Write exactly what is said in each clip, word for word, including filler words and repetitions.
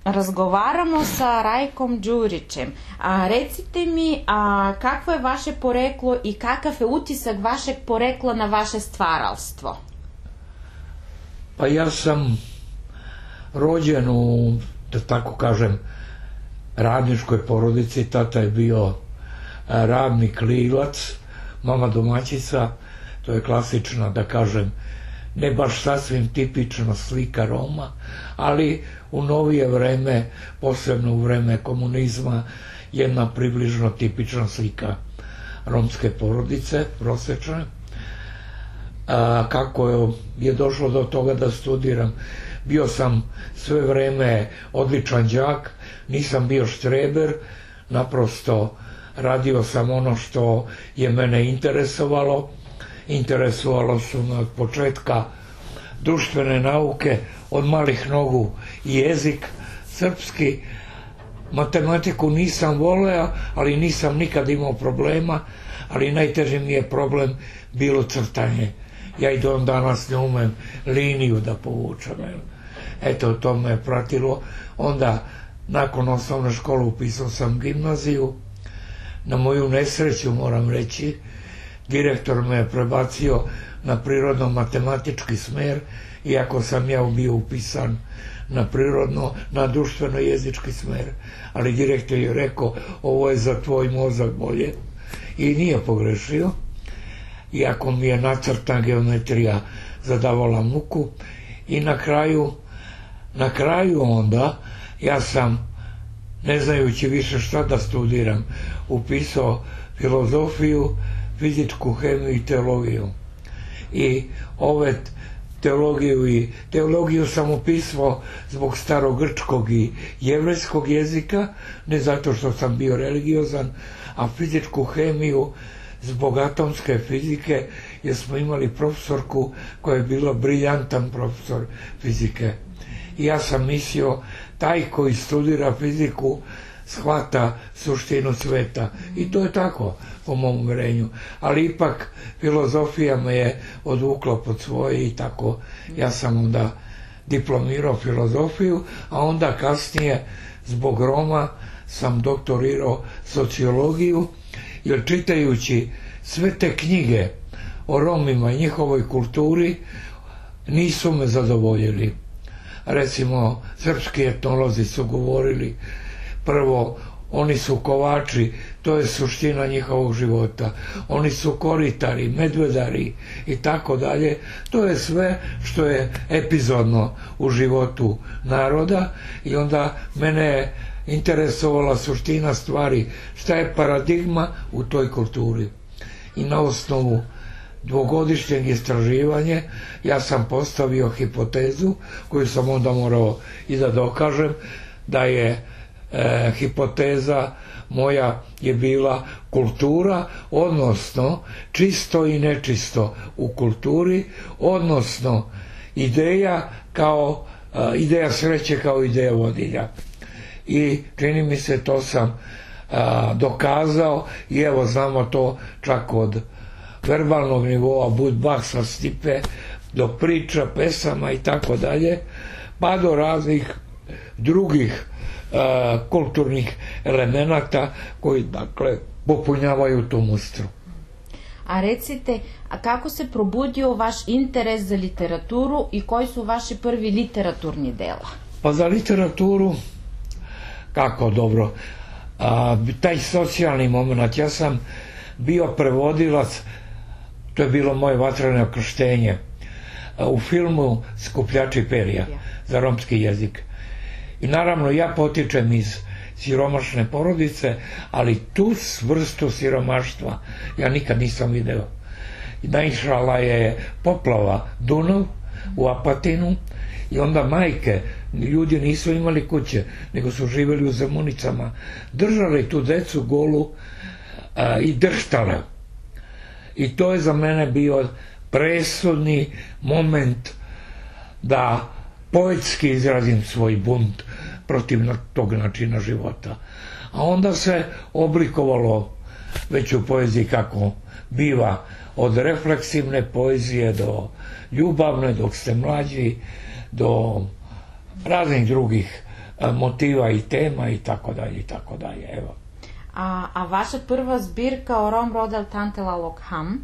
razgovaramo sa Rajkom Đurićem. A, recite mi, a, kakvo je vaše poreklo i kakav je utisak vašeg porekla na vaše stvaralstvo? Pa ja sam rođen u, da tako kažem, radničkoj porodici. Tata je bio radnik livac, mama domaćica. To je klasična, da kažem, ne baš sasvim tipična slika Roma, ali u novije vreme, posebno u vreme komunizma, jedna približno tipična slika romske porodice, prosečne. A, kako je došlo do toga da studiram? Bio sam sve vreme odličan đak, nisam bio štreber, naprosto radio sam ono što je mene interesovalo. Interesovalo su me od početka društvene nauke, od malih nogu i jezik srpski. Matematiku nisam voleo, ali nisam nikad imao problema, ali najteži mi je problem bilo crtanje. Ja i do danas ne umem liniju da povučem. Eto, to me je pratilo. Onda, nakon osnovne škole, upisao sam gimnaziju. Na moju nesreću, moram reći, direktor me je prebacio na prirodno-matematički smer, iako sam ja bio upisan na prirodno, na društveno-jezički smer. Ali direktor je rekao, ovo je za tvoj mozak bolje. I nije pogrešio, iako mi je nacrtna geometrija zadavala muku. I na kraju, na kraju onda, ja sam, ne znajući više šta da studiram, upisao filozofiju, fizičku hemiju i teologiju. I ove teologiju i teologiju sam upisao zbog starogrčkog i jevrejskog jezika, ne zato što sam bio religiozan, a fizičku hemiju zbog atomske fizike, jer smo imali profesorku koja je bila briljantan profesor fizike. I ja sam mislio, taj koji studira fiziku shvata suštinu sveta. I to je tako, po mom uverenju. Ali ipak filozofija me je odvukla pod svoje i tako ja sam onda diplomirao filozofiju, a onda kasnije zbog Roma sam doktorirao sociologiju, jer čitajući sve te knjige o Romima i njihovoj kulturi nisu me zadovoljili. Recimo, srpski etnolozi su govorili, prvo, oni su kovači, to je suština njihovog života. Oni su koritari, medvedari i tako dalje. To je sve što je epizodno u životu naroda i onda mene je interesovala suština stvari, šta je paradigma u toj kulturi. I na osnovu dvogodišnjeg istraživanja ja sam postavio hipotezu koju sam onda morao i da dokažem, da je e, hipoteza moja je bila kultura, odnosno čisto i nečisto u kulturi, odnosno ideja kao e, ideja sreće kao ideja vodilja. I čini mi se to sam a, dokazao i evo znamo to čak od verbalnog nivoa Budbahsa, Stipe, do priča, pesama i tako dalje, pa do raznih drugih a, kulturnih elemenata koji, dakle, popunjavaju tu mustru. A recite, a kako se probudio vaš interes za literaturu i koji su vaši prvi literaturni dela? Pa za literaturu, kako dobro, a, taj socijalni moment, ja sam bio prevodilac, to je bilo moje vatreno krštenje, u filmu Skupljači perja za romski jezik. I naravno ja potičem iz siromašne porodice, ali tu vrstu siromaštva ja nikad nisam video. Naišla je poplava Dunav u Apatinu i onda majke, ljudi nisu imali kuće, nego su živjeli u Zemunicama, držali tu decu golu a, i drštale. I to je za mene bio presudni moment da poetski izrazim svoj bunt protiv tog načina života. A onda se oblikovalo već u poeziji kako biva, od refleksivne poezije do ljubavne, dok ste mlađi, do raznih drugih motiva i tema i tako dalje i tako dalje, evo. A, a vaša prva zbirka o Rom Rodel Tantela Lokham,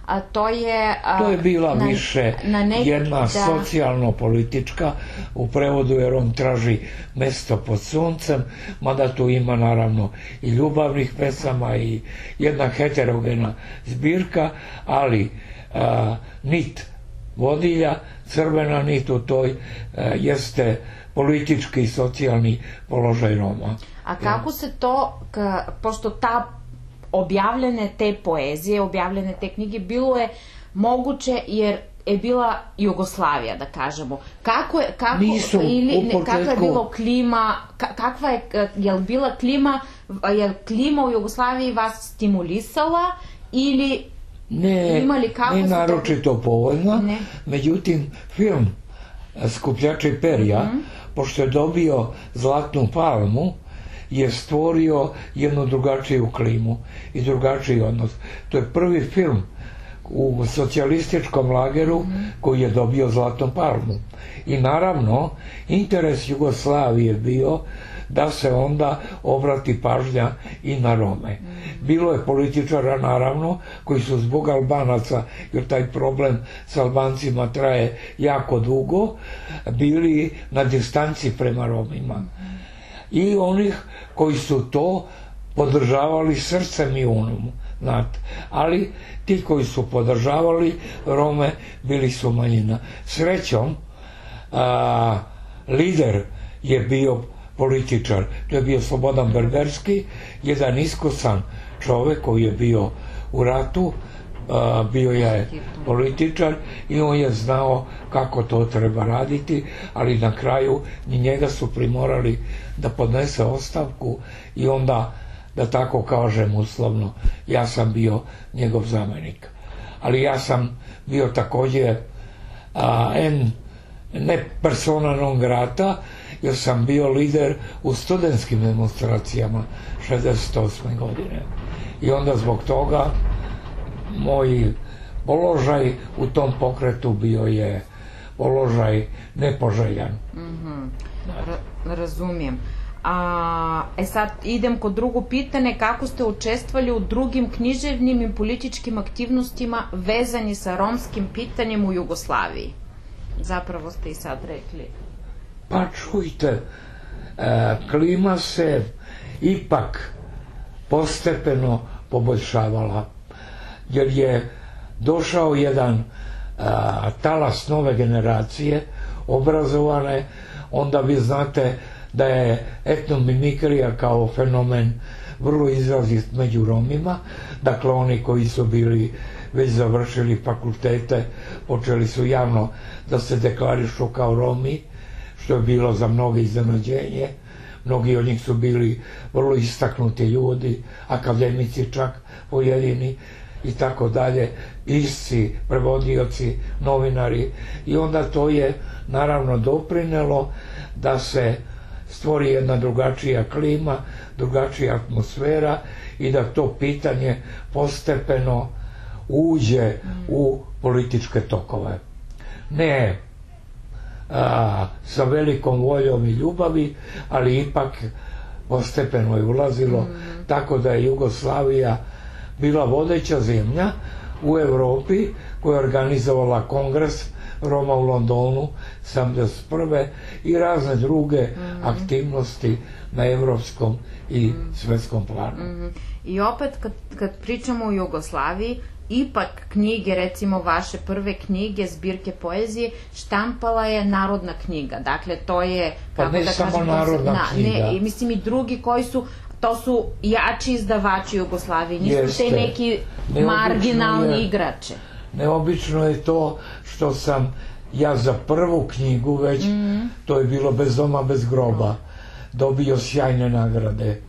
a to je... A, to je bila na, više na nek, jedna da... socijalno-politička, u prevodu je Rom traži mesto pod suncem, mada tu ima naravno i ljubavnih pesama i jedna heterogena zbirka, ali a, nit vodilja, crvena nit u toj a, jeste politički i socijalni položaj Roma. A kako se to, ka, pošto ta objavljene te poezije, objavljene te knjige, bilo je moguće jer je bila Jugoslavija, da kažemo. Kako je, kako, Nisu, ili, ne, početku... kakva je bilo klima, ka, kakva je, je li bila klima, je li klima u Jugoslaviji vas stimulisala ili ne, imali kako ne naročito to... povoljna, ne. Međutim, film Skupljači perja, mm-hmm. pošto je dobio Zlatnu palmu, je stvorio jednu drugačiju klimu i drugačiji odnos. To je prvi film u socijalističkom lageru mm-hmm. koji je dobio Zlatnu palmu. I naravno, interes Jugoslavije je bio da se onda obrati pažnja i na Rome. Mm-hmm. Bilo je političara, naravno, koji su zbog Albanaca, jer taj problem s Albancima traje jako dugo, bili na distanci prema Romima. Mm-hmm. I onih koji su to podržavali srcem i umom, znate. Ali ti koji su podržavali Rome bili su manjina. Srećom, a, lider je bio političar, to je bio Slobodan Berberski, jedan iskusan čovek koji je bio u ratu, a, bio je političar i on je znao kako to treba raditi, ali na kraju ni njega su primorali da podnese ostavku i onda, da tako kažem uslovno, ja sam bio njegov zamenik. Ali ja sam bio također a, en, ne persona non grata, jer sam bio lider u studentskim demonstracijama šezdeset osme godine. I onda zbog toga moj položaj u tom pokretu bio je položaj nepoželjan. Mm-hmm. Ra- razumijem. A, e sad idem kod drugo pitanje, kako ste učestvovali u drugim književnim i političkim aktivnostima vezani sa romskim pitanjem u Jugoslaviji? Zapravo ste i sad rekli. Pa čujte, e, klima se ipak postepeno poboljšavala, jer je došao jedan a, talas nove generacije, obrazovane, onda vi znate da je etnomimikrija kao fenomen vrlo izrazit među Romima, dakle oni koji su bili već završili fakultete, počeli su javno da se deklarišu kao Romi, što je bilo za mnoge iznenađenje. Mnogi od njih su bili vrlo istaknuti ljudi, akademici čak pojedini i tako dalje, pisci, prevodioci, novinari, i onda to je naravno doprinelo da se stvori jedna drugačija klima, drugačija atmosfera i da to pitanje postepeno uđe u političke tokove. Ne a, sa velikom voljom i ljubavi, ali ipak postepeno je ulazilo, mm. tako da je Jugoslavija bila vodeća zemlja u Europi koja je organizovala kongres Roma u Londonu sedamdeset prve i razne druge mm. aktivnosti na evropskom i mm. svetskom planu. Mm. I opet kad, kad pričamo o Jugoslaviji, ipak knjige, recimo vaše prve knjige, zbirke poezije, štampala je Narodna knjiga. Dakle, to je... Pa ne da samo kažem, Narodna na, knjiga. Ne, mislim i drugi koji su, to su jači izdavači Jugoslavije, nisu Jeste. te neki Neobično marginalni je, igrače. Neobično je to što sam ja za prvu knjigu već, mm-hmm. to je bilo Bez doma, bez groba, dobio sjajne nagrade.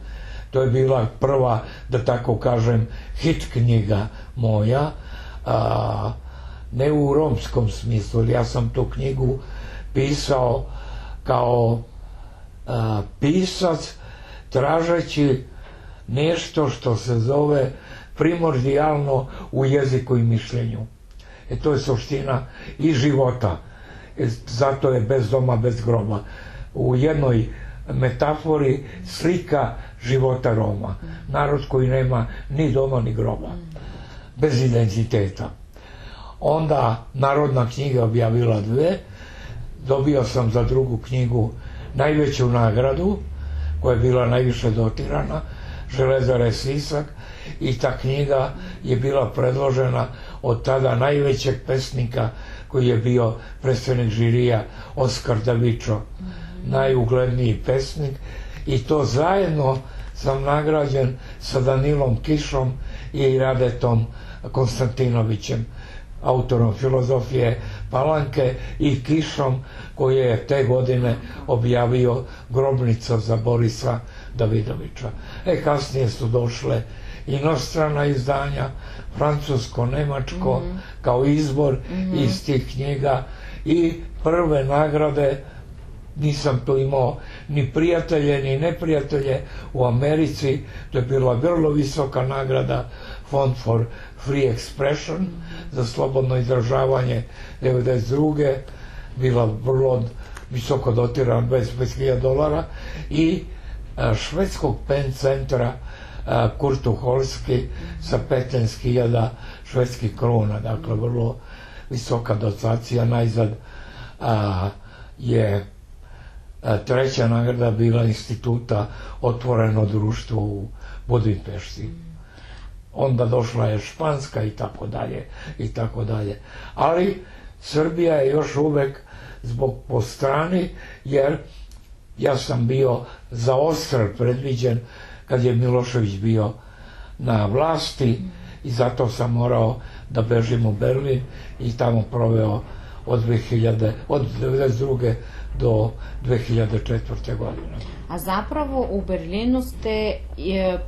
To je bila prva, da tako kažem, hit knjiga moja, a, ne u romskom smislu, ja sam tu knjigu pisao kao a, pisac, tražeći nešto što se zove primordijalno u jeziku i mišljenju. E to je suština i života. E, zato je Bez doma, bez groba. U jednoj metafori slika života Roma. Narod koji nema ni doma ni groba, bez identiteta. Onda Narodna knjiga objavila dve, dobio sam za drugu knjigu najveću nagradu, koja je bila najviše dotirana, Železare Sisak, i ta knjiga je bila predložena od tada najvećeg pesnika koji je bio predsednik žirija, Oskar Davičo, najugledniji pesnik, i to zajedno sam nagrađen sa Danilom Kišom i Radetom Konstantinovićem, autorom filozofije Palanke, i Kišom koji je te godine objavio Grobnica za Borisa Davidovića. E, kasnije su došle inostrana izdanja, francusko, nemačko, mm-hmm. kao izbor mm-hmm. iz tih knjiga, i prve nagrade. Nisam tu imao ni prijatelje ni neprijatelje u Americi. To je bila vrlo visoka nagrada, Fond for Free Expression, mm-hmm. za slobodno izražavanje, devedeset druge bila vrlo visoko dotirana, dvadeset hiljada dolara, i a, švedskog pen centra a, Kurtu Holski sa petnaest hiljada švedskih krona, dakle vrlo visoka dotacija. Najzad a, je a, treća nagrada bila instituta Otvoreno društvo u Budimpešti. Onda došla je španska i tako dalje i tako dalje. Ali Srbija je još uvek zbog po strani, jer ja sam bio za odstrel predviđen kad je Milošević bio na vlasti, i zato sam morao da bežim u Berlin i tamo proveo od dve hiljade, od devedeset druge do dve hiljade četvrte godine. A zapravo u Berlinu ste, je,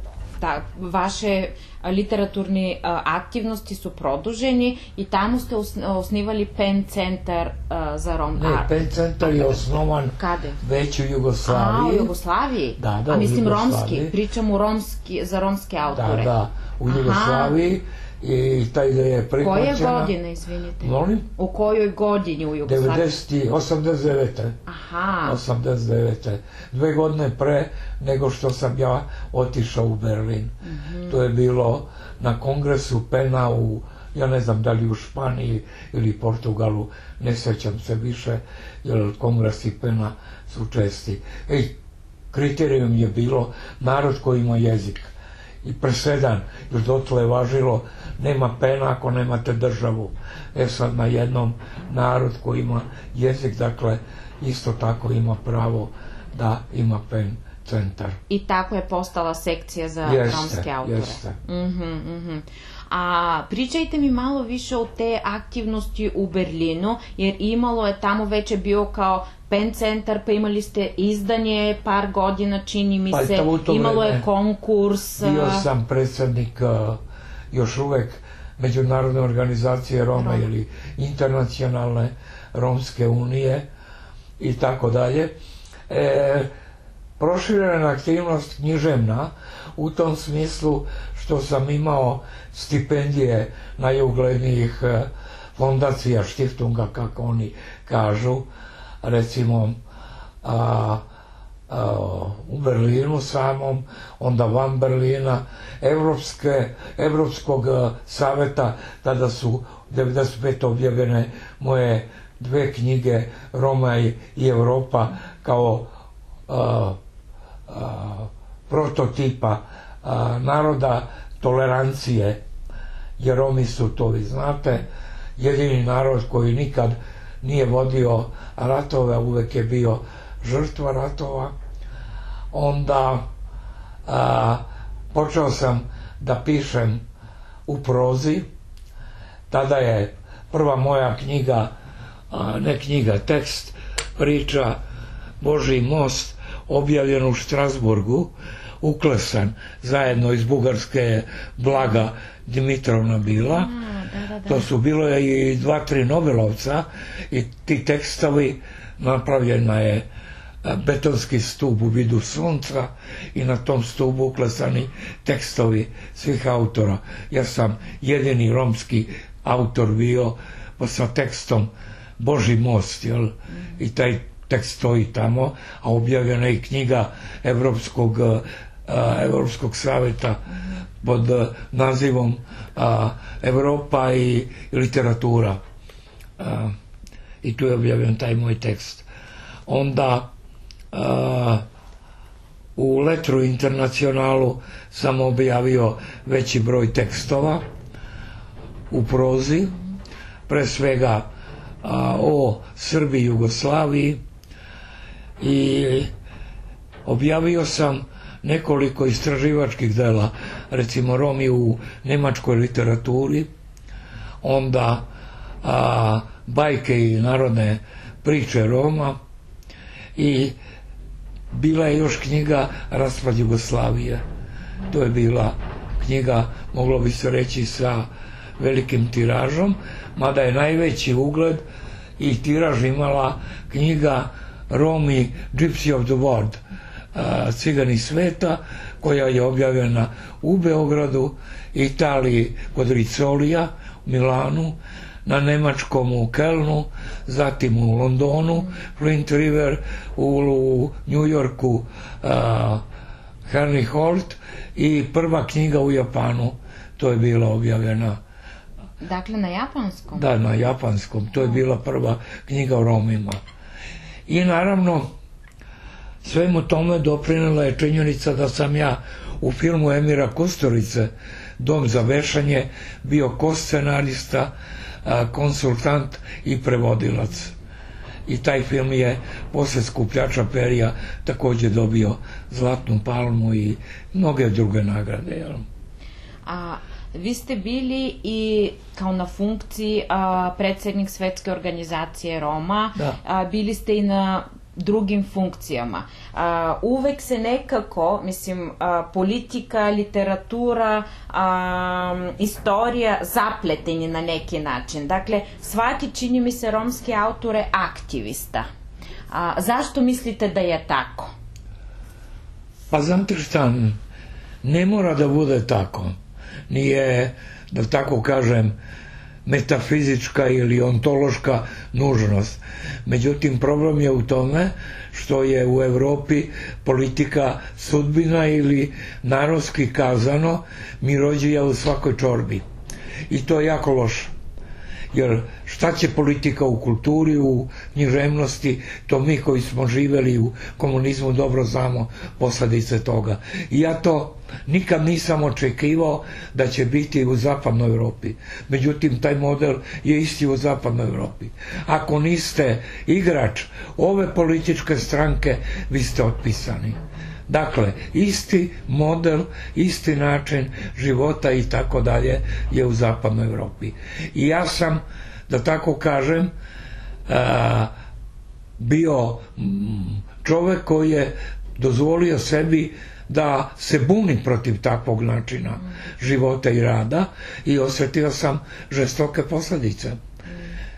da, vaše literaturni a, aktivnosti su produženi i tamo ste osnivali Pen centar a, za Rom... Ne, Pen centar je osnovan Kade? već u Jugoslaviji. A, u Jugoslaviji? Da, da, A mislim u Jugoslaviji. romski, pričam u romski, za romske autore. Da, da, u Jugoslaviji. Aha. I ta ideja je prihvaćena. Koje godine, izvinite? Molim? U kojoj godini u Jugoslaviji? devedeset, osamdeset devete. Aha. osamdeset devete. Dve godine pre nego što sam ja otišao u Berlin. Mm-hmm. To je bilo na kongresu Pena u, ja ne znam da li u Španiji ili Portugalu, ne sećam se više, jer kongresi Pena su česti. Ej, kriterijum je bilo narod koji ima jezik. I presedan, jer dotle je važilo nema Pena ako nemate državu. E sad na jednom narod koji ima jezik, dakle, isto tako ima pravo da ima Pen centar. I tako je postala sekcija za jeste, romske autore. Jeste. Mm-hmm, mm-hmm. A pričajte mi malo više o te aktivnosti u Berlinu, jer imalo je tamo, već je bio kao Pen centar, pa imali ste izdanje par godina, čini mi se, pa imalo je konkurs. Bio sam predsednik uh, još uvek Međunarodne organizacije Roma Rom. ili Internacionalne Romske unije i tako dalje. E, proširena aktivnost književna u tom smislu što sam imao stipendije najuglednijih fondacija, štiftunga, kako oni kažu, recimo a, a, u Berlinu samom, onda van Berlina, Evropske, Evropskog saveta, tada su devedeset pete objavljene moje dve knjige, Roma i, i Evropa, kao a, a, prototipa a, naroda tolerancije, jer Romi su, to vi znate, jedini narod koji nikad nije vodio ratove, uvek je bio žrtva ratova. Onda a, počeo sam da pišem u prozi. Tada je prva moja knjiga, a, ne knjiga, tekst, priča Božji most, objavljen u Štrasburgu, uklesan zajedno iz Bugarske Blaga Dimitrovna bila. A, da, da, da. To su bilo je i dva, tri Nobelovca i ti tekstovi, napravljena je betonski stup u vidu sunca i na tom stupu uklesani tekstovi svih autora. Ja sam jedini romski autor bio, pa sa tekstom Božji most, jel? I taj tekst stoji tamo, a objavljena je i knjiga Evropskog, Evropskog saveta pod nazivom Evropa i literatura. I tu je objavljen taj moj tekst. Onda u Letru Internacionalu sam objavio veći broj tekstova u prozi, pre svega o Srbiji i Jugoslaviji, i objavio sam nekoliko istraživačkih dela, recimo Romi u nemačkoj literaturi, onda a, bajke i narodne priče Roma, i bila je još knjiga Raspad Jugoslavije. To je bila knjiga, moglo bi se reći, sa velikim tiražom, mada je najveći ugled i tiraž imala knjiga Romi Gypsy of the World, Cigani sveta, koja je objavljena u Beogradu, Italiji kod Ricolija, u Milanu, na nemačkom u Kelnu, zatim u Londonu, Flint River, u New Yorku Henry Holt, i prva knjiga u Japanu, to je bila objavljena. Dakle, na japanskom? Da, na japanskom. To je bila prva knjiga o Romima. I naravno, svemu tome doprinela je činjenica da sam ja u filmu Emira Kusturice, Dom za vešanje, bio koscenarista, konsultant i prevodilac. I taj film je posle Skupljača perja takođe dobio Zlatnu palmu i mnoge druge nagrade. A vi ste bili i kao na funkciji a, predsednik Svetske organizacije Roma, a, bili ste i na drugim funkcijama. A, uvek se nekako, mislim, a, politika, literatura, a, istorija zapletenje na neki način. Dakle, svaki, čini mi se, romski autor je aktivista. A, zašto mislite da je tako? Pa znate šta, ne mora da bude tako. Nije, da tako kažem, metafizička ili ontološka nužnost. Međutim, problem je u tome što je u Evropi politika sudbina ili, narodski kazano, mirođija u svakoj čorbi. I to je jako loše. Jer šta će politika u kulturi, u književnosti, to mi koji smo živeli u komunizmu dobro znamo posledice toga. I ja to nikad nisam očekivao da će biti u zapadnoj Evropi. Međutim, taj model je isti u zapadnoj Evropi. Ako niste igrač ove političke stranke, vi ste otpisani. Dakle, isti model, isti način života i tako dalje je u zapadnoj Evropi. I ja sam, da tako kažem, bio čovek koji je dozvolio sebi da se buni protiv takvog načina života i rada, i osetio sam žestoke posledice.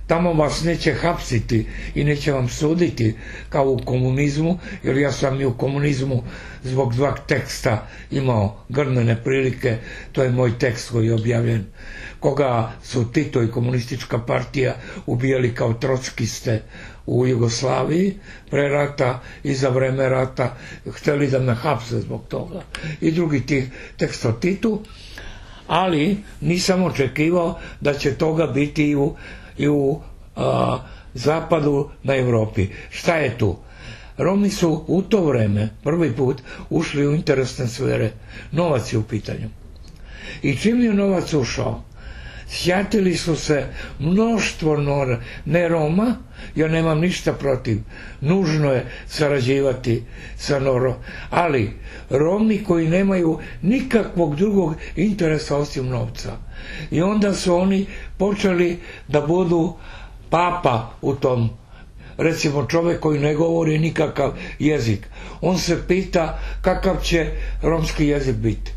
Tamo vas neće hapsiti i neće vam suditi kao u komunizmu, jer ja sam i u komunizmu zbog dva teksta imao grnene prilike. To je moj tekst koji je objavljen, koga su Tito i komunistička partija ubijali kao trockiste u Jugoslaviji pre rata i za vreme rata, hteli da me hapse zbog toga. I drugi tih tekst o Titu, ali nisam očekivao da će toga biti i u i u a, zapadu na Evropi. Šta je tu? Romi su u to vreme prvi put ušli u interesne sfere. Novac je u pitanju. I čim je novac ušao, sjatili su se mnoštvo nora, ne Roma, ja nemam ništa protiv, nužno je sarađivati sa Norom, ali Romi koji nemaju nikakvog drugog interesa osim novca. I onda su oni počeli da budu papa u tom, recimo čovek koji ne govori nikakav jezik. On se pita kakav će romski jezik biti.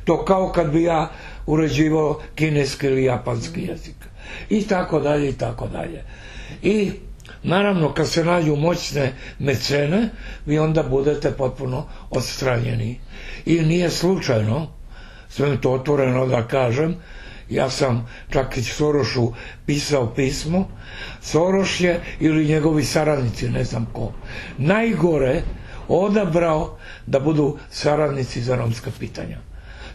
To kao kad bi ja uređivao kineski ili japanski jezik. I tako dalje, i tako dalje. I naravno kad se nađu moćne mecene, vi onda budete potpuno odstranjeni. I nije slučajno, sve to otvoreno da kažem, Ja sam čak i Sorošu pisao pismo. Soroš je, ili njegovi saradnici, ne znam ko, najgore odabrao da budu saradnici za romska pitanja.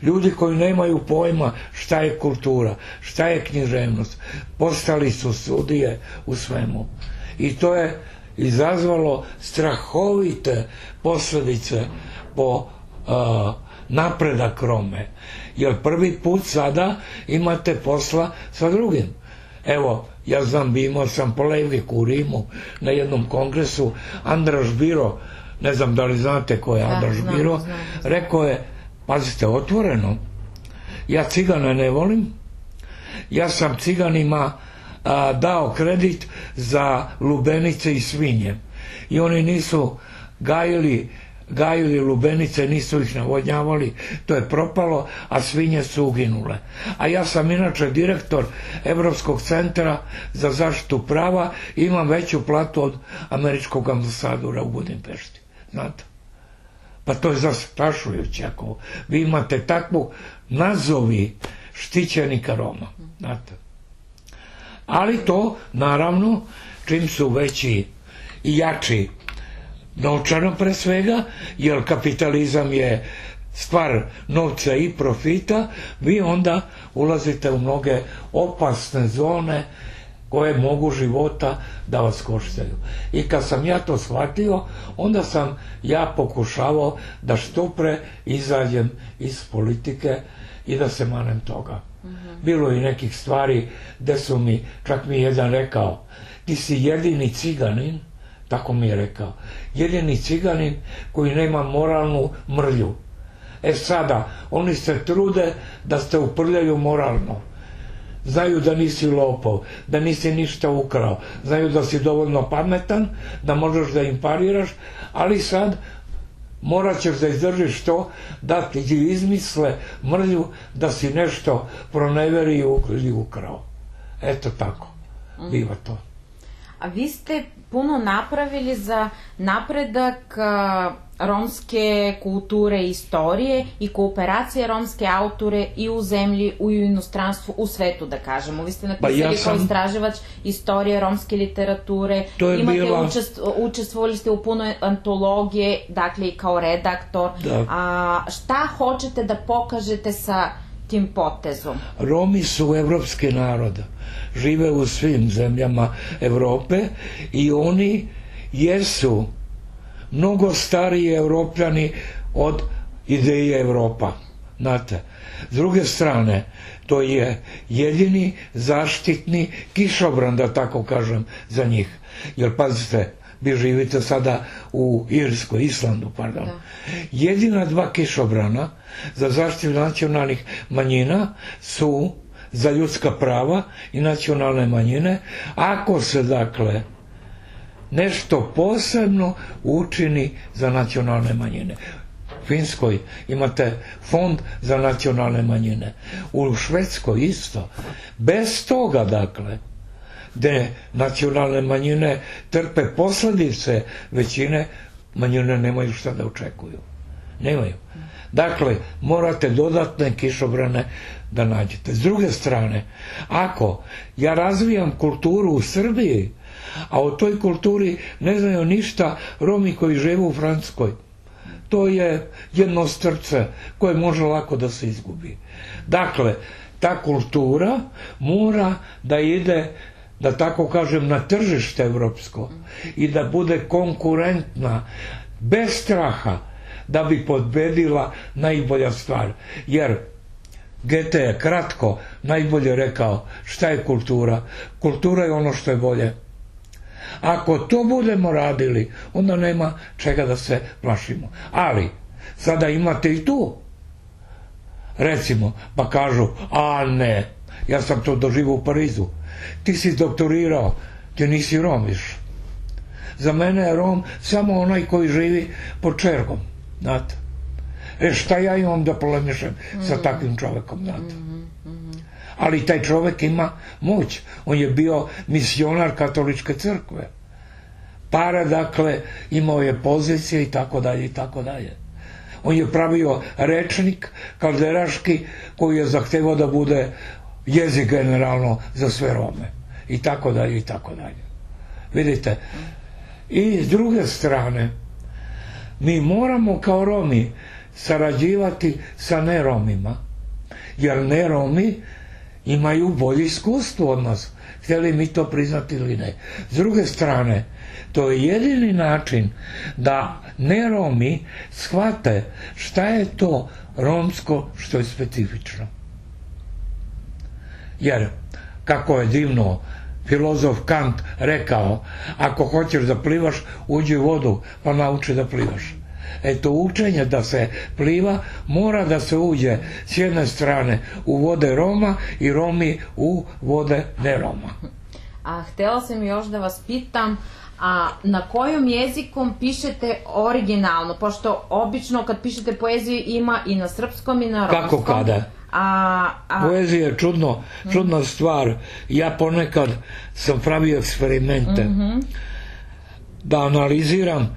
Ljudi koji nemaju pojma šta je kultura, šta je književnost, postali su sudije u svemu. I to je izazvalo strahovite posljedice po uh, napredak Rome. Jer prvi put sada imate posla sa drugim. Evo, ja znam, imao sam polemiku u Rimu na jednom kongresu. Andraš Biro, ne znam da li znate ko je Andraš Biro, rekao je, pazite, otvoreno, ja Cigana ne volim, ja sam Ciganima a, dao kredit za lubenice i svinje i oni nisu gajili gajili lubenice, nisu ih navodnjavali, to je propalo, a svinje su uginule. A ja sam inače direktor Evropskog centra za zaštitu prava i imam veću platu od američkog ambasadora u Budimpešti. Znate? Pa to je zastrašujuće ako vi imate takvu nazovi štićenika Roma. Znate? Ali to, naravno, čim su veći i jači novčano pre svega, jer kapitalizam je stvar novca i profita, vi onda ulazite u mnoge opasne zone koje mogu života da vas koštaju. I kad sam ja to shvatio, onda sam ja pokušavao da što pre izađem iz politike i da se manem toga. Mm-hmm. Bilo je nekih stvari gde su mi, čak mi jedan rekao, ti si jedini Ciganin, tako mi je rekao, jedini Ciganin koji nema moralnu mrlju. E sada, oni se trude da ste uprljaju moralno. Znaju da nisi lopov, da nisi ništa ukrao, znaju da si dovoljno pametan, da možeš da im pariraš, ali sad morat ćeš da izdržiš to da ti izmisle mrlju da si nešto proneveri ili ukrao. Eto tako, biva to. A vi ste puno napravili za napredak romske kulture i istorije i kooperacije romske autore i u zemlji, i u inostranstvu, u svetu, da kažemo. Vi ste napisali pa ja sam... kao istraživač istorije romske literature, imate bila... učest... učestvovali ste u puno antologije, dakle i kao redaktor. Da. A, šta hoćete da pokažete sa tim potezom? Romi su evropski narod, žive u svim zemljama Evrope i oni jesu mnogo stariji Evropljani od ideje Evropa. Znate, s druge strane, to je jedini zaštitni kišobran, da tako kažem, za njih. Jer pazite, vi živite sada u Irskoj, Islandu, pardon. Da. Jedina dva kišobrana za zaštitu nacionalnih manjina su za ljudska prava i nacionalne manjine, ako se, dakle, nešto posebno učini za nacionalne manjine. U Finskoj imate fond za nacionalne manjine. U Švedskoj isto. Bez toga, dakle, gde nacionalne manjine trpe posljedice većine, manjine nemaju šta da očekuju. Nemaju. Dakle, morate dodatne kišobrane da nađete. S druge strane, ako ja razvijam kulturu u Srbiji, a o toj kulturi ne znaju ništa Romi koji žive u Francuskoj, to je jedno strce koje može lako da se izgubi. Dakle, ta kultura mora da ide, da tako kažem, na tržište evropsko i da bude konkurentna, bez straha, da bi pobedila najbolja stvar. Jer Gete je kratko najbolje rekao šta je kultura. Kultura je ono što je bolje. Ako to budemo radili, onda nema čega da se plašimo. Ali, sada imate i tu. Recimo, pa kažu, a ne, ja sam to doživio u Parizu. Ti si doktorirao, ti nisi Rom više. Za mene je Rom samo onaj koji živi pod čergom, znate. E šta ja imam da polemišem mm-hmm. sa takvim čovekom, znate. Mm-hmm. Ali taj čovek ima moć. On je bio misionar katoličke crkve. Para, dakle, imao je pozicije i tako dalje i tako dalje. On je pravio rečnik kalderaški koji je zahtevao da bude jezik generalno za sve Rome i tako dalje i tako dalje. Vidite, i s druge strane mi moramo kao Romi sarađivati sa neromima, jer neromi imaju bolje iskustvo od nas, htjeli mi to priznati ili ne. S druge strane, to je jedini način da neromi shvate šta je to romsko što je specifično. Jer, kako je divno filozof Kant rekao, ako hoćeš da plivaš, uđi u vodu pa nauči da plivaš. Eto, učenje da se pliva mora da se uđe s jedne strane u vode Roma i Romi u vode ne Roma. A htjela sam još da vas pitam, a na kojom jezikom pišete originalno? Pošto obično kad pišete poeziju ima i na srpskom i na romskom. Kako kada? A, a... Poezija je čudno, čudna stvar. Ja ponekad sam pravio eksperimente mm-hmm. da analiziram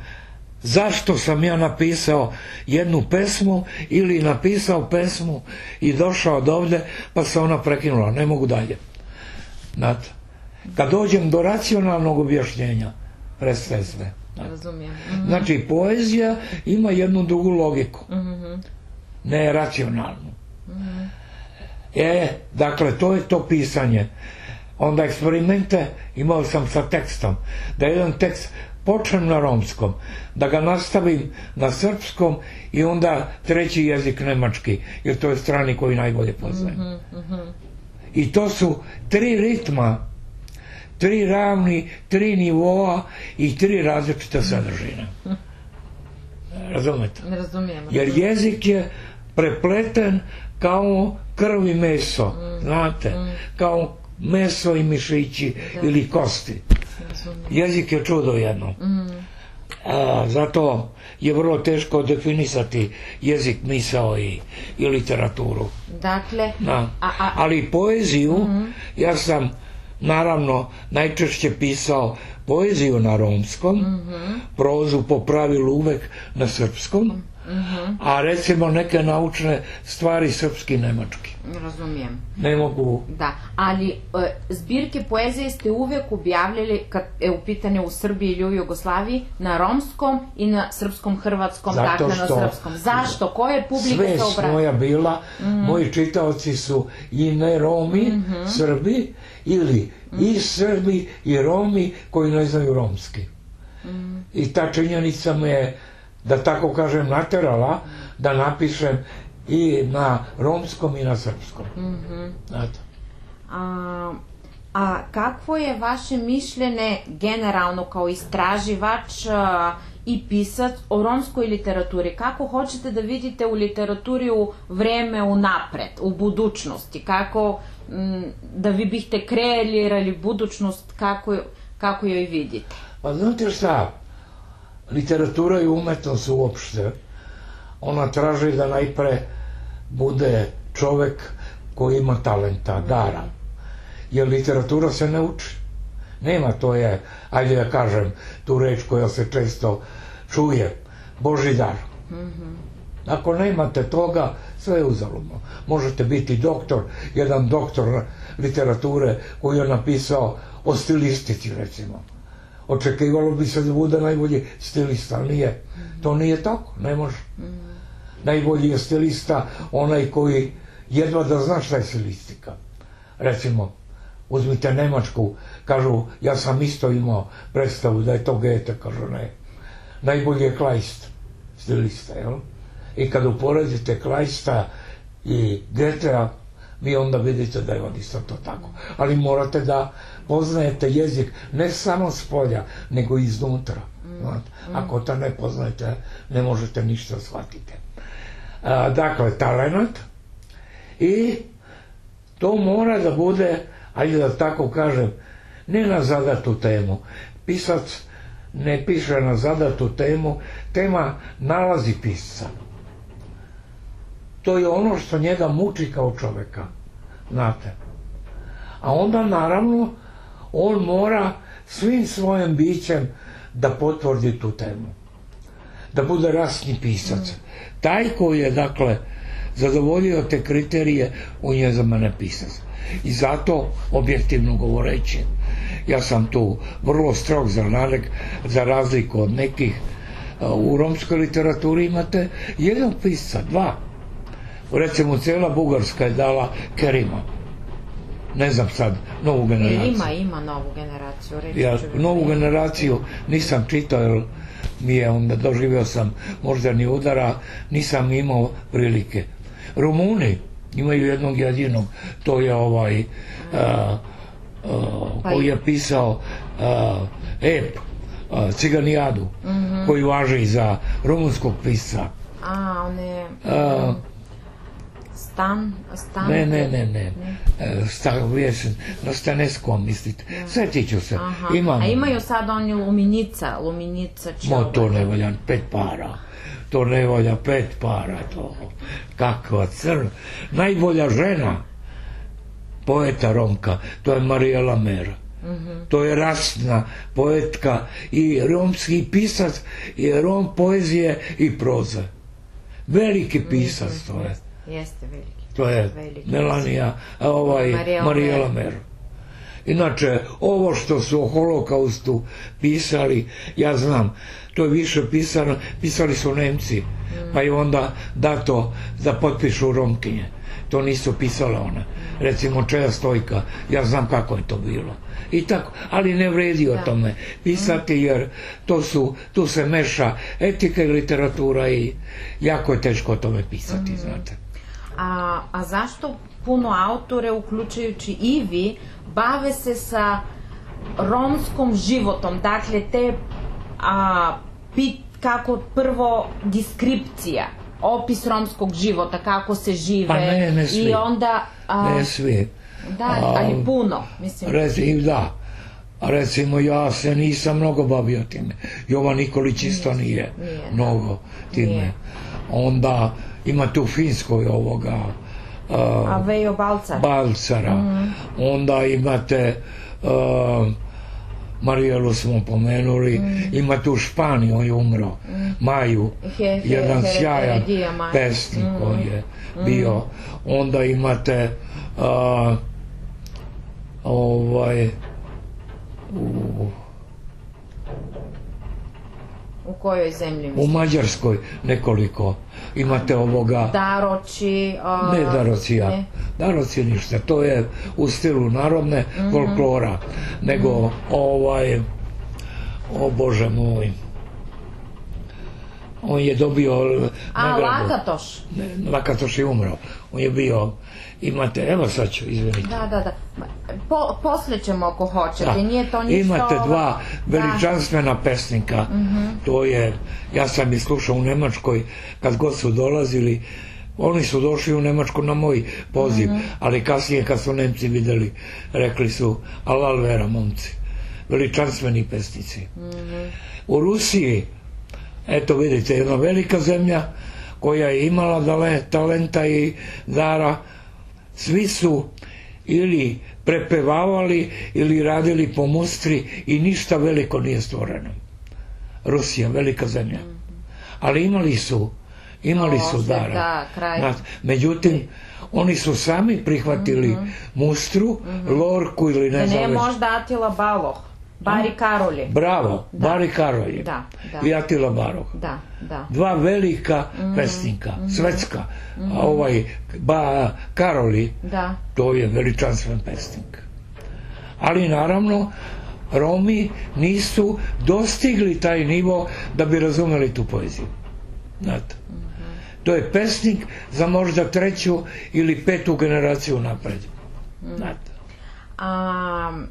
zašto sam ja napisao jednu pesmu ili napisao pesmu i došao od ovde pa se ona prekinula, ne mogu dalje. Znate, kad dođem do racionalnog objašnjenja, prestaje sve. Razumijem. Mm-hmm. Znači, poezija ima jednu drugu logiku, mm-hmm. ne racionalnu. Mm-hmm. E, dakle, to je to pisanje. Onda eksperimente imao sam sa tekstom, da jedan tekst počnem na romskom, da ga nastavim na srpskom i onda treći jezik nemački, jer to je strani koji najbolje poznajem. Mm-hmm. I to su tri ritma, tri ravni, tri nivoa i tri različite sadržine. Razumete? Ne razumijem. Jer jezik je prepleten kao krv i meso, mm. znate, mm. kao meso i mišići da. Ili kosti. Jezik je čudo jedno. Mm. A, zato je vrlo teško definisati jezik, misao i, i literaturu. Dakle, a, a, ali poeziju, mm. ja sam naravno najčešće pisao poeziju na romskom, mm-hmm. prozu po pravilu uvek na srpskom, mm-hmm. a recimo neke naučne stvari srpski i nemački. Razumijem. Ne mogu... Da, ali e, zbirke poezije ste uvek objavljali, kad je u pitanju u Srbiji ili u Jugoslaviji, na romskom i na srpskom, hrvatskom, zato dakle što, na srpskom. Zašto? Koja je publika se obraća? Sve moja bila, mm-hmm. moji čitaoci su i ne Romi, mm-hmm. Srbi, ili mm-hmm. i Srbi i Romi koji ne znaju romski. Mm-hmm. I ta činjenica me je, da tako kažem, naterala da napišem i na romskom i na srpskom. Mm-hmm. Znate. A, a kakvo je vaše mišljenje generalno kao istraživač a, i pisac o romskoj literaturi? Kako hoćete da vidite u literaturi u vreme unapred, u budućnosti? Kako m, da vi biste kreirali budućnost, kako, kako joj vidite? Pa znate šta, literatura i umetnost uopšte, ona traži da najpre bude čovek koji ima talenta, dara. Jer literatura se ne uči. Nema, to je, ajde da kažem, tu reč koja se često čuje, Božji dar. Mm-hmm. Ako nemate toga, sve je uzaludno. Možete biti doktor, jedan doktor literature koji je napisao o stilistici, recimo. Očekivalo bi se da bude najbolji stilista, ali nije. To nije tako, ne može. Mm-hmm. Najbolji je stilista onaj koji jedva da zna šta je stilistika. Recimo, uzmite Nemačku, kažu, ja sam isto imao predstavu da je to Goethe, kažu ne. Najbolji je Kleist, stilista, jel? I kad uporedite Kleista i Goethea, vi onda vidite da je on isto to tako. Ali morate da poznajete jezik ne samo s polja, nego i iznutra. Mm. Ako to ne poznajete, ne možete ništa shvatiti. A, dakle, talenat i to mora da bude, ajde da tako kažem, ne na zadatu temu. Pisac ne piše na zadatu temu, tema nalazi pisca. To je ono što njega muči kao čoveka, znate. A onda, naravno, on mora svim svojim bićem da potvrdi tu temu. Da bude rasni pisac. Taj koji je, dakle, zadovoljio te kriterije, on je za mene pisac. I zato, objektivno govoreći, ja sam tu vrlo strog za, narek, za razliku od nekih. U romskoj literaturi imate jednog pisca, dva. Recimo, cijela Bugarska je dala Kerima. Ne znam sad, novu generaciju. Ima, ima novu generaciju. Ja novu generaciju nisam čitao, jer mi je onda doživio sam moždani udara, nisam imao prilike. Rumuni imaju jednog jedinog, to je ovaj a, a, koji je pisao a, ep, a, Ciganijadu, mm-hmm. koji važi za rumunskog pisca. A, on je... A, Stan, stan... Ne, ne, ne, ne. Stav, jesen, na Staneskom mislite. Svetit ću se. Imam. A imaju sad oni Luminica, Luminica će... Mo, to ne valja pet para. To ne valja pet para, to. Kakva crn. Najbolja žena poeta Romka, to je Marijela Mera. Mm-hmm. To je rasna poetka i romski pisac, i rom poezije i proze. Veliki pisac mm-hmm. to je. Jeste veliki. To je veliki Melanija, ovaj, Marijela Mera. Inače, ovo što su o holokaustu pisali, ja znam, to je više pisano, pisali su Nemci, mm. pa je onda dato da potpišu Romkinje. To nisu pisale one. Recimo Čeja Stojka, ja znam kako je to bilo. I tako, ali ne vredi o tome pisati, jer to su, tu se meša etika i literatura i jako je teško o tome pisati, mm. znate. A, a zašto puno autore, uključujući i vi, bave se sa romskom životom? Dakle, te a, pit, kako prvo deskripcija, opis romskog života, kako se žive. Pa ne, ne svi. I onda... A, ne svi. Da, ali puno, mislim. Reci, da. Recimo, ja se nisam mnogo bavio time. Jovan Nikolić isto nije, nije mnogo time. Nije. Onda ima tu Finskoj ovoga uh, a Vejo Balcar. Balcara. Mm-hmm. Onda imate uh, Marijelu smo pomenuli, mm-hmm. ima tu Španiju, on je umro, mm-hmm. Maju, he, he, jedan he, sjajan he, he, pesnik mm-hmm. koji je bio. Mm-hmm. Onda imate uh, ovaj u U kojoj zemlji misliš? U Mađarskoj nekoliko. Imate ovoga... Daroći... A... Ne Darocija. Ne. Daroci ništa. To je u stilu narodne mm-hmm. folklora. Nego mm-hmm. ovaj... O Bože moj... On je dobio... A, nagradu. Lakatoš. Ne, Lakatoš je umro. On je bio... Imate, evo sad ću, izvinite. Da, da, da. Po, posle ćemo ako hoćete, da. Nije to ništa... Imate dva veličanstvena da. pesnika, mm-hmm. to je, ja sam ih slušao u Nemačkoj, kad god su dolazili, oni su došli u Nemačku na moj poziv, mm-hmm. ali kasnije kad su Nemci videli, rekli su, alal vera, momci, veličanstveni pesnici. Mm-hmm. U Rusiji, eto vidite, jedna velika zemlja, koja je imala dale, talenta i dara, svi su ili prepevavali ili radili po mustri i ništa veliko nije stvoreno. Rusija, velika zemlja. Ali imali su, imali su dara. Međutim, oni su sami prihvatili mustru, lorku ili ne znam. Da ne možda Atila Baloh. Bari Karolje. Bravo, da. Bari Karolje. Da, da. I Atila Baroh. Da, da. Dva velika mm-hmm. pesnika, mm-hmm. svetska. Mm-hmm. A ovaj ba, Karoli, da. To je veličanstven pesnik. Ali naravno, Romi nisu dostigli taj nivo da bi razumeli tu poeziju. Znate. Mm-hmm. To je pesnik za možda treću ili petu generaciju napred. Mm-hmm. Znate. A...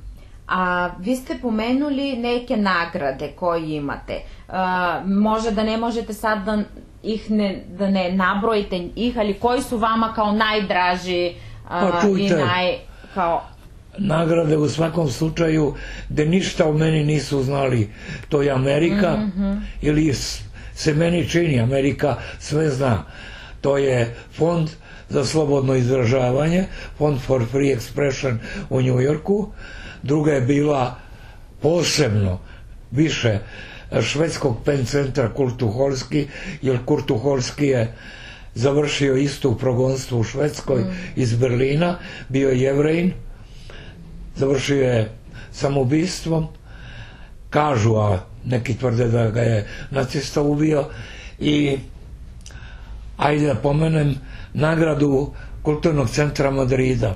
A vi ste pomenuli neke nagrade koje imate. A, može da ne možete sad da ih ne, da ne nabrojite ih, ali koji su vama kao najdraži a, pa čujte, i naj... Kao... nagrade u svakom slučaju gde ništa o meni nisu znali, to je Amerika, mm-hmm. ili se meni čini, Amerika sve zna. To je fond za slobodno izražavanje, Fond for Free Expression u New Yorku. Druga je bila posebno više švedskog pen centra Kurt Tucholsky, jer Kurt Tucholsky je završio isto u progonstvu u Švedskoj iz Berlina, bio je Jevrejin, završio je samoubistvom, kažu, a neki tvrde da ga je nacista ubio, i ajde da pomenem nagradu Kulturnog centra Madrida.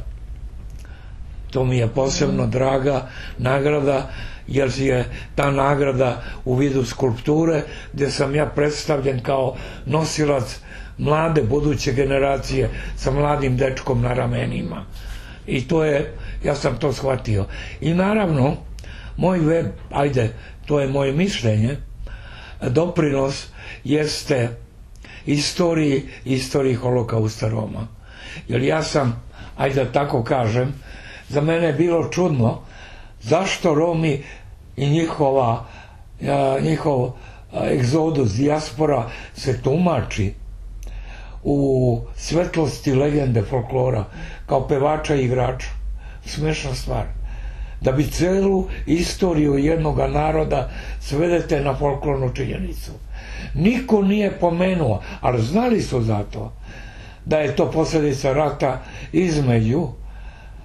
To mi je posebno draga nagrada, jer je ta nagrada u vidu skulpture, gdje sam ja predstavljen kao nosilac mlade buduće generacije sa mladim dečkom na ramenima. I to je, ja sam to shvatio. I naravno, moj web, ajde, to je moje mišljenje, doprinos jeste istoriji, istoriji holokausta Roma. Jer ja sam, ajde da tako kažem, za mene je bilo čudno zašto Romi i njihova, njihov egzodus, dijaspora se tumači u svetlosti legende folklora kao pevača i igrača. Smešna stvar. Da bi celu istoriju jednog naroda svedete na folklornu činjenicu. Niko nije pomenuo, ali znali su za to, da je to posljedica rata između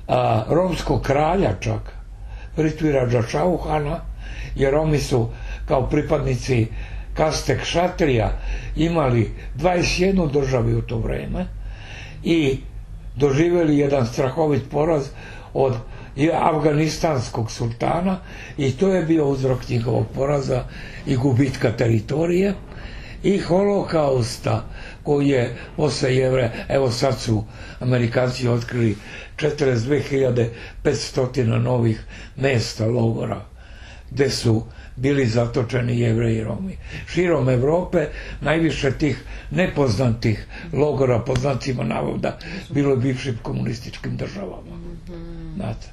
a, romskog kralja čak, Prithviradža Čauhana, jer Romi su kao pripadnici kaste kšatrija imali dvadeset jednu državu u to vreme i doživjeli jedan strahovit poraz od afganistanskog sultana, i to je bio uzrok njihovog poraza i gubitka teritorije i holokausta koji je posle Jevreja, evo sad su Amerikanci otkrili četrdeset dve hiljade petsto novih mesta, logora, gde su bili zatočeni Jevreji i Romi. Širom Evrope najviše tih nepoznatih logora, po znacima navoda, bilo je bivšim komunističkim državama. Znate.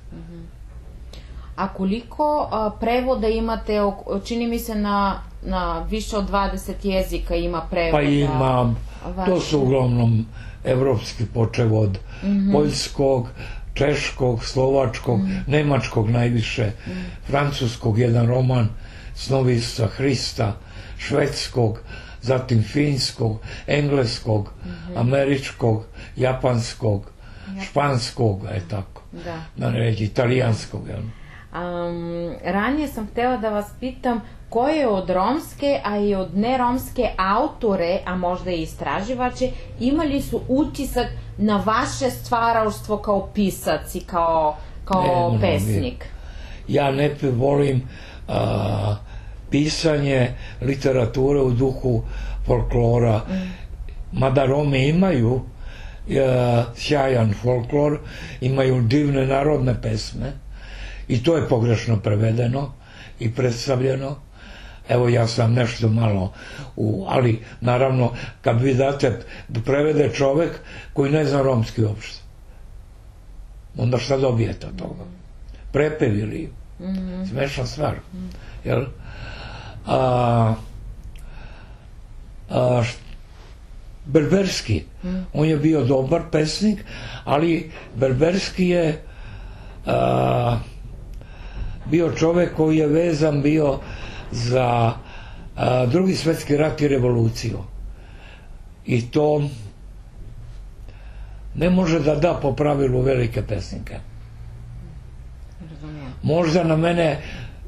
A koliko a, prevoda imate, čini mi se na, na više od dvadeset jezika ima prevoda? Pa imam, to su uglavnom evropski, počev od mm-hmm. poljskog, češkog, slovačkog, mm-hmm. nemačkog najviše, mm-hmm. francuskog, jedan roman Snovisa Hrista, švedskog, zatim finskog, engleskog, mm-hmm. američkog, japanskog, Japan. španskog, je tako, da, da ne reći, italijanskog, jel? Um, ranije sam htjela da vas pitam koje od romske, a i od neromske autore, a možda i istraživače, imali su utisak na vaše stvaralaštvo kao pisac i kao, kao ne, pesnik? Ja ne volim a, pisanje literature u duhu folklora, mm. mada Romi imaju a, sjajan folklor, imaju divne narodne pesme, i to je pogrešno prevedeno i predstavljeno. Evo, ja sam nešto malo u, ali naravno kad vi date da prevede čovek koji ne zna romski uopšte, onda šta dobijete od toga? Prepev ili mm-hmm. smešna stvar. Mm-hmm. Jel? A, a, Berberski, mm. on je bio dobar pesnik, ali Berberski je a, bio čovek koji je vezan bio za a, drugi svjetski rat i revoluciju. I to ne može da da po pravilu velike pesnike. Možda na mene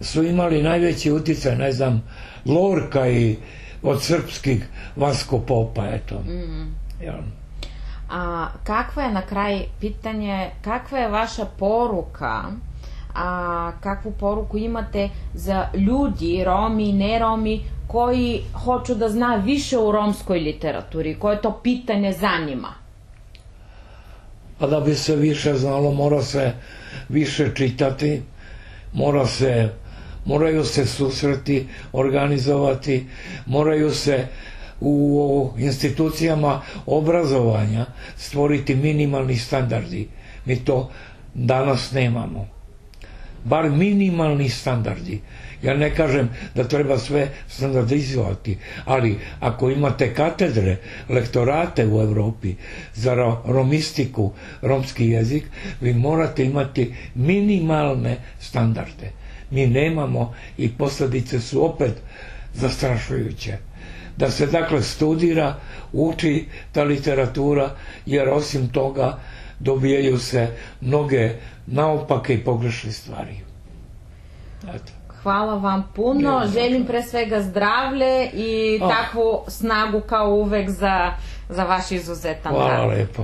su imali najveći uticaj, ne znam, Lorka i od srpskih Vasko Popa, eto. Mm. Ja. A kakva je na kraj pitanje, kakva je vaša poruka, a kakvu poruku imate za ljudi, Romi i neromi, koji hoću da zna više u romskoj literaturi, koje to pitanje zanima? Pa da bi se više znalo, mora se više čitati, mora se, moraju se susreti, organizovati, moraju se u institucijama obrazovanja stvoriti minimalni standardi. Mi to danas nemamo. Bar minimalni standardi. Ja ne kažem da treba sve standardizovati, ali ako imate katedre, lektorate u Evropi za romistiku, romski jezik, vi morate imati minimalne standarde. Mi nemamo i posljedice su opet zastrašujuće. da se dakle studira, uči ta literatura, jer osim toga dobijaju se mnoge naopake i pogrešne stvari. Eto. Hvala vam puno, Ne, želim pre svega zdravlje i Oh. takvu snagu kao uvek za, za vaš izuzetan Hvala rad. lepo.